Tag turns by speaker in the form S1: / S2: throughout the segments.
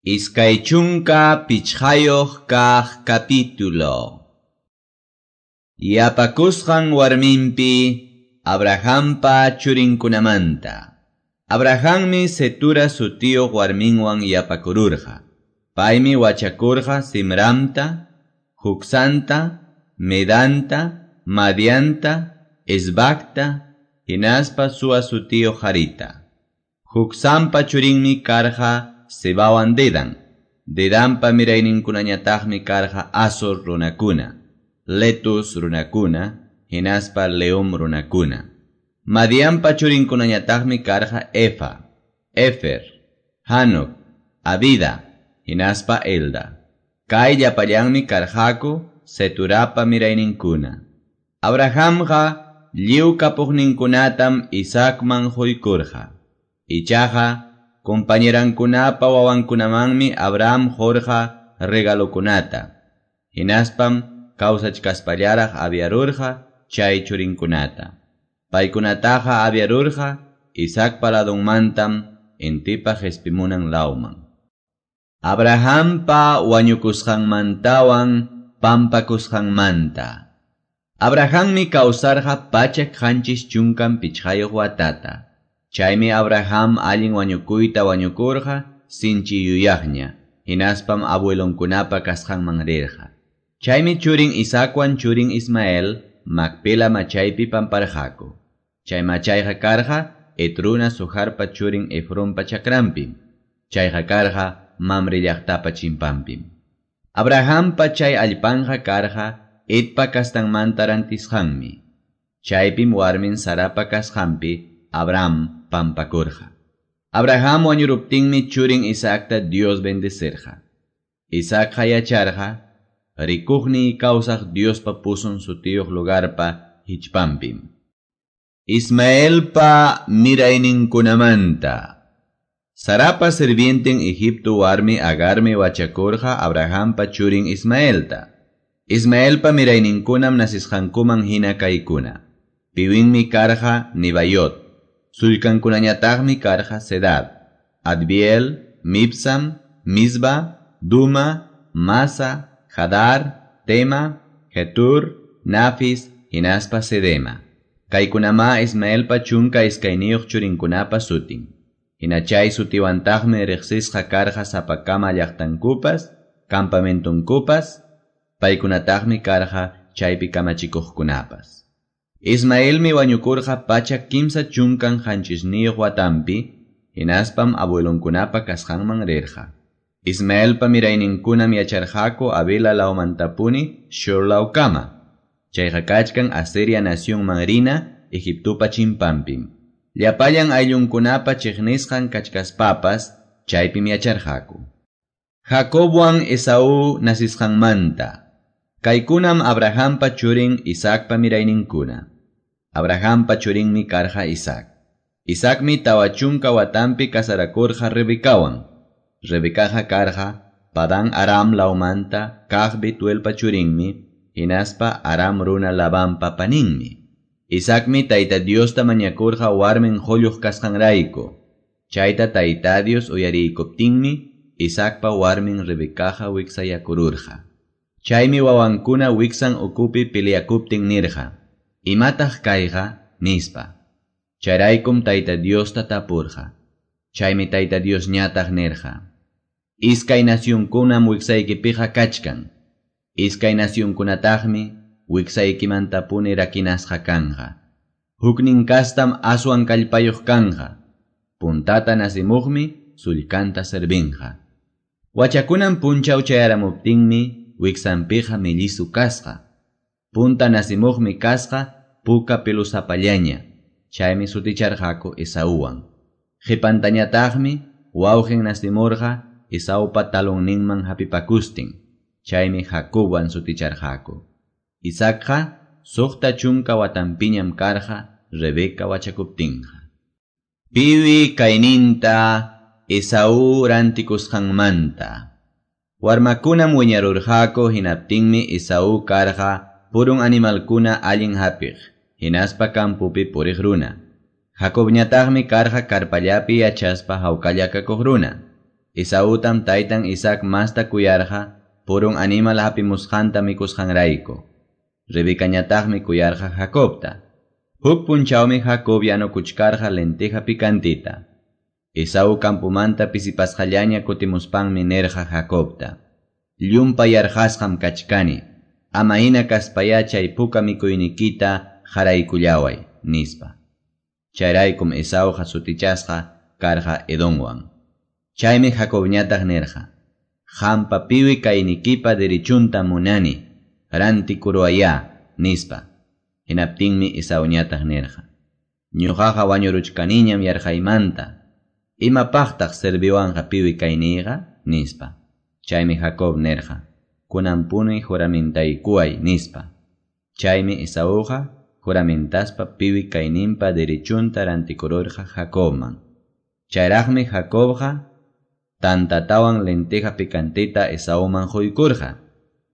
S1: 25 kaq capítulo. Yapakusqan warminpi Abrahampa churinkunamanta. Abrahammi Cetura sutiyuq warminwan yapakururqa. Paymi wachakurqa Simramta, Jucsanta, Medanta, Madianta, Esbacta, hinaspa Sua sutiyuq harita. Jucsampa churinmi karqa Sebawan Dedan. Dedanpa mirayninkunañataqmi karqa Asor runakuna, Letus runakuna, hinaspa Leum runakuna. Madianpa churinkunañataqmi karqa Efa, Efer, Hanok, Abida, hinaspa Elda. Kay llapallanmi karqaku Ceturapa mirayninkuna. Abrahamqa lliw kapuqninkunatam Isaacman quykurqa. Ichaqa compañerankunapa wawankunamanmi Abraham qurqa regalokunata. Hinaspam kawsachkaspallaraq aviarurqa chay churinkunata. Paykunataqa aviarurqa Isaacpa ladunmantam intipa qhispimunan lawman. Abrahampa wañukusqanmantawan pampakusqanmanta. Abrahammi kawsarqa 775 watata. Chaymi Abraham allin wañukuyta wañukurqa sinchi yuyaqña, hinaspam abuelonkunapa kasqanman rirqa. Chaymi churin Isaacwan churin Ismael Macpela machaypi pamparqaku. Chay machayqa karqa Etruna Sujarpa churin Efronpa chakranpim. Chayqa karqa Mamre llaqtapa chimpanpim. Abrahampa chay allpanqa karqa Etpa kastanmanta rantisqanmi. Chaypim warmin Sarapa kasqanpi Abraham pampakurqa. Abraham wañuruptinmi churin Isaacta Dios bendecerqa. Isaacqa yacharqa rikuqni kawsaq Diospa pusun sutiyuq lugarpa hichpanpim. Ismaelpa mirayninkunamanta. Sarapa sirvienten Egipto warmi Agarmi wachakurqa Abrahampa churin Ismaelta. Ismaelpa mirayninkunam nasisqankuman hina kaykuna. Piwinmi karqa Nibayot. Sullkankunañataqmi karqa Sedad, Adbiel, Mibsam, Misba, Duma, Masa, Hadar, Tema, Getur, Nafis, hinaspa Sedema. Kaykunamá Ismaelpa 12 churinkunapa sutin. Hina chay sutiwantaqmi riqsisqa karqa sapakama llaqtankupas, campamentonkupas, paykunataqmi karqa chaypi kamachikuqkunapas. Ismaelmi wañukurqa 337 watanpi, hinaspam abuelonkunapa kasqanman rirqa. Ismaelpa mirayninkunam yacharqaku Avila lawmantapuni Shur lawkama. Chayqa kachkan Asiria nacionman rina Egiptopa chimpanpim. Llapallan ayllunkunapa chiqnisqan kachkaspapas chaypim yacharqaku. Jacobwan Esaú nasisqanmanta. Kaykunam Abrahampa churin Isaacpa mirayninkuna. Abrahampa churinmi karqa Isaac. Isaacmi 40 watanpi kasarakurqa Rebecawan. Rebecaqa karqa Padan Aram lawmanta kaq Betuelpa churinmi, hinaspa Aram runa Labanpa paninmi. Isaacmi Tayta Diosta mañakurqa warmin qulluq kasqanrayku. Chayta Tayta Dios uyariykuptinmi Isaacpa warmin Rebecaqa wiksayakururqa. Chaymi wawankuna wiksan ukupi peleakuptin nirqa: Imataq kayqa? Nispa. Chayraykum Tayta Diosta tapurqa. Chaymi Tayta Dios ñataq nirqa: Iskay nacionkunam wiksaykipiqa kachkan. Iskay nacionkunataqmi wiksaykimantapuni rakinasqa kanqa. Huknin kastam aswan kallpayuq kanqa. Puntata nasimuqmi sullkanta servinqa. Wachakunan punchaw chayaramuptinmi wiksanpiqa mellizu kasqa. Punta nasimuqmi kasqa puka pelusapallaña. Chaymi suticharqaku Esauwan. Qipantañataqmi wawqin nasimurqa Esaupa talonninman hapipakustin. Chaymi Jacobwan suticharqaku. Isaacqa 60 watanpiñam karqa Rebeca wachakuptinqa. Piwi kayninta Esaú rantikusqanmanta. Warmakunam wiñarurqaku hinaptinmi Esaú karqa purun animalkuna allin hapiq, hinaspa kampupi puriq runa. Jacobñataqmi karqa karpallapi yachaspa hawkalla kakuq runa. Esautam taytan Isaac masta kuyarqa purun animal hapimusqanta mikusqanrayku. Rebecañataqmi kuyarqa Jacobta. Huk punchawmi Jacob yanukuchkarqa lenteja picantita. Esau campumanta pisipasqallaña kutimuspanmi nirqa Jacobta: Llumpay yarqasqam kachkani, ama hina kaspayá chay puka mikuynikita qaraykullaway, nispa. Chayraykum Esauqa sutichasqa karqa Edonwan. Chaymi Jacobñataq nirqa: Qampa piwi kaynikipa derechunta munani, rantikuruwayá, nispa. Hinaptinmi Esauñataq nirqa: Ñuqaqa wañuruchkaniñam yarqaymanta. Imapaqtaq serviwanqa piwi kayniyqa, nispa. Chaymi Jacob nirqa: Kunanpuni juramintaykuway, nispa. Chaymi Esauqa juramentaspa piwi kayninpa derechunta rantikururqa Jacobman. Chayraqmi Jacobqa tantatawan lenteja picantita Esauman quykurqa.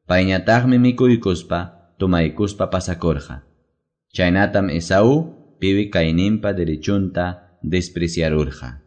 S1: Payñataqmi mikuykuspa tomaykuspa pasakurqa. Chaynatam Esau piwi kayninpa derechunta despreciarurqa.